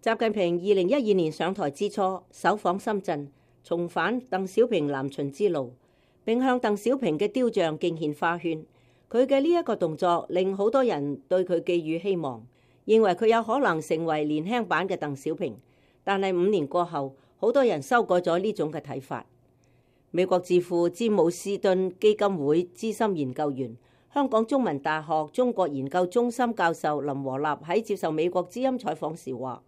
習近平2012年上台之初，首訪深圳，重返鄧小平南巡之路，並向鄧小平嘅雕像敬獻花圈。佢嘅呢一個動作令好多人對佢寄予希望，認為佢有可能成為年輕版嘅鄧小平。但係5年過後，好多人修改咗呢種嘅睇法。美國智庫詹姆斯頓基金會資深研究員、香港中文大學中國研究中心教授林和立喺接受美國之音採訪時話，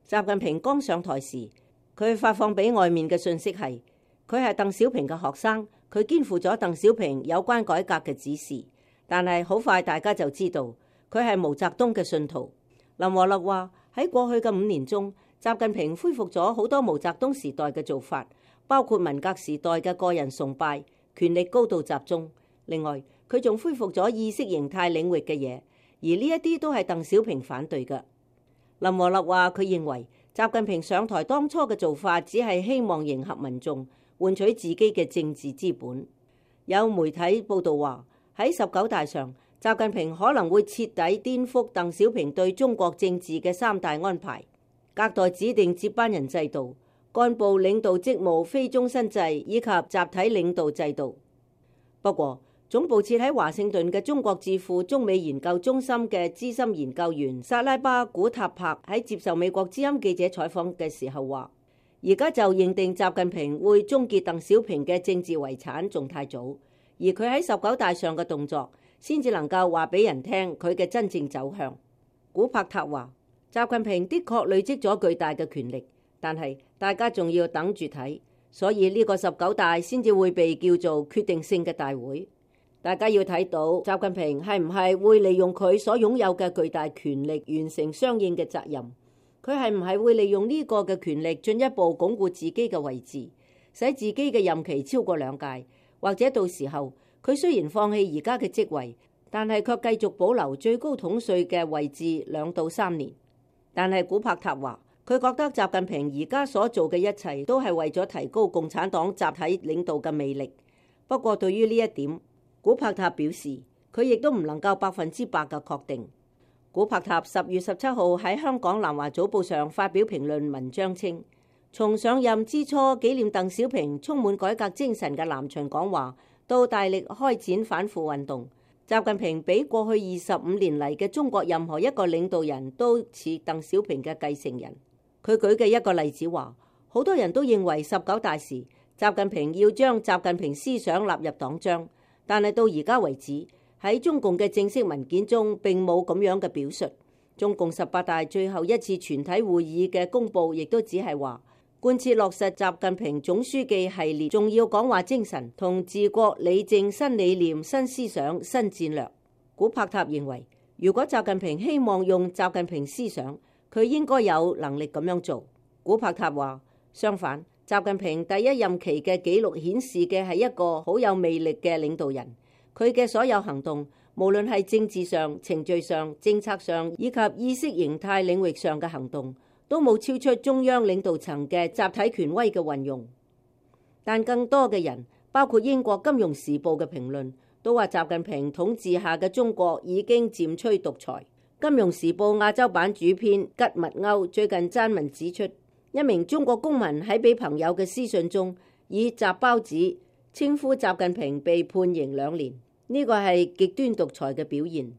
習近平剛上台時，佢發放俾外面嘅信息係佢係鄧小平嘅學生，佢肩負咗鄧小平有關改革嘅指示。但係好快大家就知道佢係毛澤東嘅信徒。林和立話，喺過去嘅5年中，習近平恢復咗好多毛澤東時代嘅做法，包括文革時代嘅個人崇拜、權力高度集中。另外，佢仲恢復咗意識形態領域嘅嘢，而呢一啲都係鄧小平反對嘅。林和立話，佢認為習近平上台當初嘅做法只係希望迎合民眾，換取自己嘅政治資本。有媒體報道話，喺19大上，習近平可能會徹底顛覆鄧小平對中國政治嘅3大安排：隔代指定接班人制度、幹部領導職務非終身制以及集體領導制度。不過，總部設喺華盛頓嘅中國智庫中美研究中心嘅資深研究員薩拉巴古塔柏喺接受美國之音記者採訪嘅時候話，而家就認定習近平會終結鄧小平嘅政治遺產仲太早，而佢喺19大上嘅動作先至能夠話俾人聽佢嘅真正走向。古柏塔話，習近平的確累積咗巨大嘅權力，但係大家仲要等住睇，所以呢個19大先至會被叫做決定性嘅大會。大家要睇到習近平係唔係會利用佢所擁有嘅巨大權力完成相應嘅責任，佢係唔係會利用呢個嘅權力進一步鞏固自己嘅位置，使自己嘅任期超過2屆，或者到時候佢雖然放棄而家嘅職位，但係卻繼續保留最高統帥嘅位置2到3年。但係古柏塔話，佢覺得習近平而家所做嘅一切都係為咗提高共產黨集體領導嘅魅力。不過對於呢一點，古柏塔表示，佢亦都唔能夠100%嘅確定。古柏塔10月17號喺香港南華早報上發表評論文章稱，從上任之初紀念鄧小平充滿改革精神嘅南巡講話，到大力開展反腐運動，習近平比過去25年嚟嘅中國任何一個領導人都似鄧小平嘅繼承人。佢舉嘅一個例子話，好多人都認為19大時習近平要將習近平思想納入黨章，但係到而家為止，喺中共嘅正式文件中並冇咁樣嘅表述。中共18大最後一次全體會議嘅公佈亦都只係話，貫徹落實習近平總書記系列重要講話精神同治國理政新理念、新思想、新戰略。古柏塔認為，如果習近平希望用習近平思想，佢應該有能力咁樣做。古柏塔話，相反，習近平第一任期嘅紀錄顯示嘅係一個好有魅力嘅領導人，佢嘅所有行動，無論係政治上、程序上、政策上以及意識形態領域上嘅行動，都冇超出中央領導層嘅集體權威嘅運用。但更多嘅人，包括英國金融時報嘅評論，都話習近平統治下嘅中國已經漸趨獨裁。金融時報亞洲版主編吉密歐最近撰文指出，一名中國公民喺俾朋友嘅私信中，以習包子稱呼習近平被判刑2年，呢個係極端獨裁嘅表現。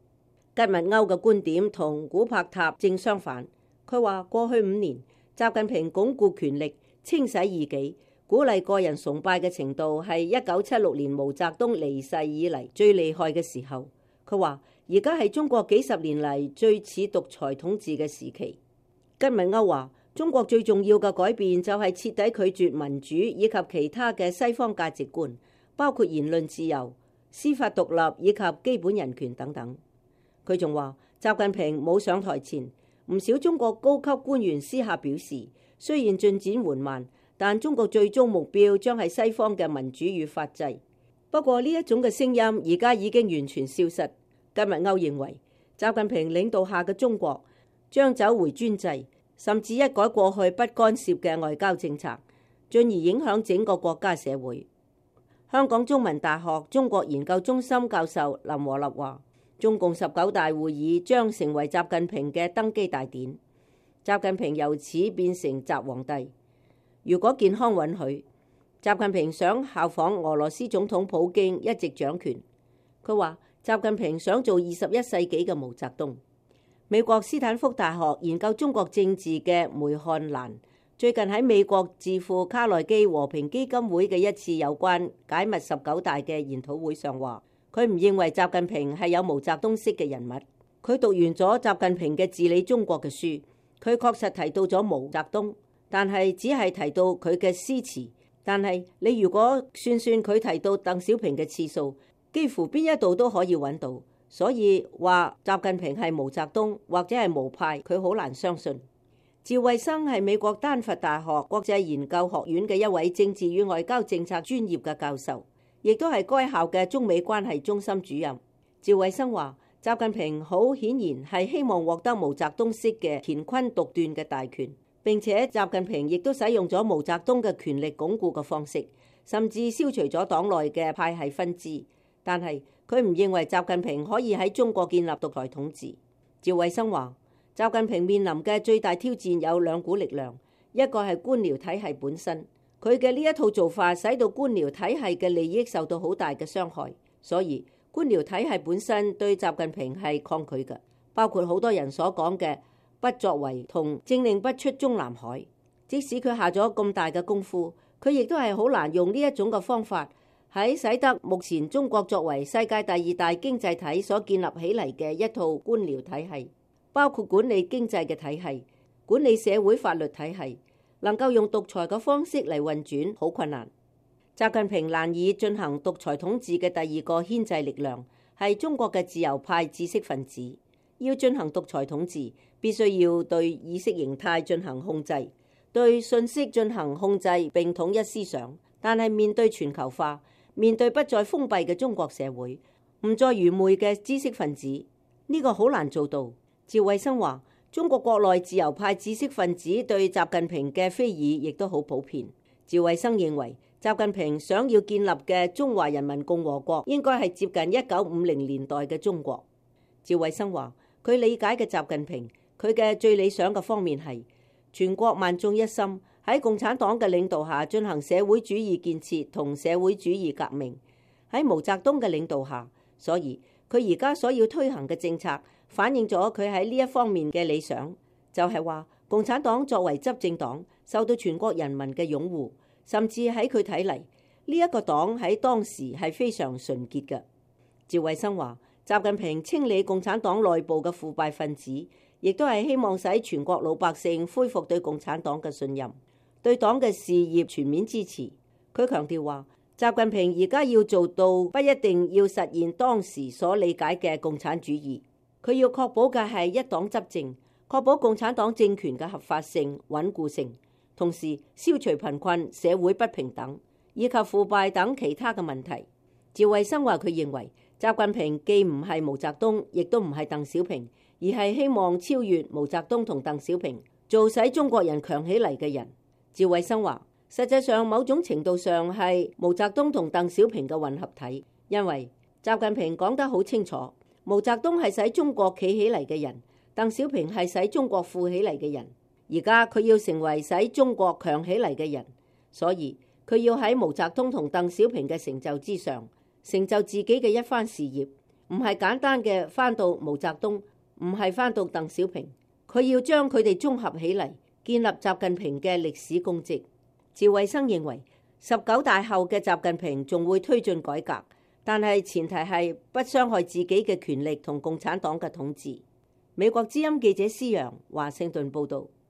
吉密歐嘅觀點同古柏塔正相反，佢話過去5年，習近平鞏固權力、清洗異己、鼓勵個人崇拜嘅程度係1976年毛澤東離世以嚟最厲害嘅時候。佢話而家係中國幾十年嚟最似獨裁統治嘅時期。吉密歐話，中國最重要嘅改變就係徹底拒絕民主以及其他嘅西方價值觀，包括言論自由、司法獨立以及基本人權等等。佢仲話，習近平冇上台前，唔少中國高級官員私下表示，雖然進展緩慢，但中國最終目標將係西方嘅民主與法治。不過呢一種嘅聲音而家已經完全消失。吉密歐認為，習近平領導下嘅中國將走回專制，甚至一改過去不干涉嘅外交政策，進而影響整個國家社會。香港中文大學中國研究中心教授林和立話，中共19大會議將成為習近平嘅登基大典。習近平由此變成習皇帝。如果健康允許，習近平想效仿俄羅斯總統普京一直掌權。佢話習近平想做21世紀嘅毛澤東。美國斯坦福大學研究中國政治嘅梅漢蘭最近喺美國智庫卡內基和平基金會嘅一次有關解密19大嘅研討會上話，佢唔認為習近平係有毛澤東式嘅人物。佢讀完咗習近平嘅治理中國嘅書，佢確實提到咗毛澤東，但係只係提到佢嘅詩詞。但係你如果算算佢提到鄧小平嘅次數，幾乎邊一度都可以揾到。所以話習近平係毛澤東或者係毛派，佢好難相信。趙慧生係美國丹佛大學國際研究學院嘅一位政治與外交政策專業嘅教授，亦都係該校嘅中美關係中心主任。趙慧生話，習近平好顯然係希望獲得毛澤東式嘅乾坤獨斷嘅大權，並且習近平亦都使用咗毛澤東嘅權力鞏固嘅方式，甚至消除咗黨內嘅派系分支。但係佢唔認為習近平可以喺中國建立獨裁統治。趙慧生話，習近平面臨嘅最大挑戰有兩股力量，一個係官僚體系本身，佢嘅呢一套做法使到官僚體系嘅利益受到好大嘅傷害，所以官僚體系本身對習近平係抗拒嘅，包括好多人所講嘅不作為同政令不出中南海。即使佢下咗咁大嘅功夫，佢亦都係好難用呢一種嘅方法喺使得目前中國作為世界第2大經濟體所建立起嚟嘅一套官僚體系，包括管理經濟嘅體系、管理社會法律體系，能夠用獨裁嘅方式嚟運轉，好困難。習近平難以進行獨裁統治嘅第二個牽制力量係中國嘅自由派知識分子。要進行獨裁統治，必須要對意識形態進行控制，對信息進行控制並統一思想。但係面對全球化，面對不再封閉嘅中國社會，唔再愚昧嘅知識分子，呢個好難做到。趙慧生話，中國國內自由派知識分子對習近平嘅非議亦都好普遍。趙慧生認為，習近平想要建立嘅中華人民共和國應該係接近1950年代嘅中國。趙慧生話，佢理解嘅習近平，佢嘅最理想嘅方面係全國萬眾一心，喺共產黨嘅領導下進行社會主義建設同社會主義革命。喺毛澤東嘅領導下，所以佢而家所要推行嘅政策反映咗佢喺呢一方面嘅理想，就係話共產黨作為執政黨受到全國人民嘅擁護。甚至喺佢睇嚟，呢一個黨喺當時係非常純潔嘅。趙慧生話，習近平清理共產黨內部嘅腐敗分子，亦都係希望使全國老百姓恢復對共產黨嘅信任，對黨嘅事業全面支持。佢強調話，習近平而家要做到不一定要實現當時所理解嘅共產主義，佢要確保嘅係一黨執政，確保共產黨政權嘅合法性、穩固性。同時消除貧困、社會不平等以及腐敗等其他嘅問題。趙慧生話，佢認為習近平既唔係毛澤東，亦都唔係鄧小平，而係希望超越毛澤東同鄧小平，做使中國人強起嚟嘅人。趙慧生話，實際上某種程度上係毛澤東同鄧小平嘅混合體，因為習近平講得好清楚，毛澤東係使中國企起嚟嘅人，鄧小平係使中國富起嚟嘅人。而家佢要成為使中國強起嚟嘅人，所以佢要喺毛澤東同鄧小平嘅成就之上，成就自己嘅一番事業，唔係簡單嘅翻到毛澤東，唔係翻到鄧小平，佢要將佢哋綜合起嚟，建立習近平嘅歷史功績。趙慧生認為19大後嘅習近平仲會推進改革，但係前提係不傷害自己嘅權力同共產黨嘅統治。美國之音記者施洋華盛頓報道。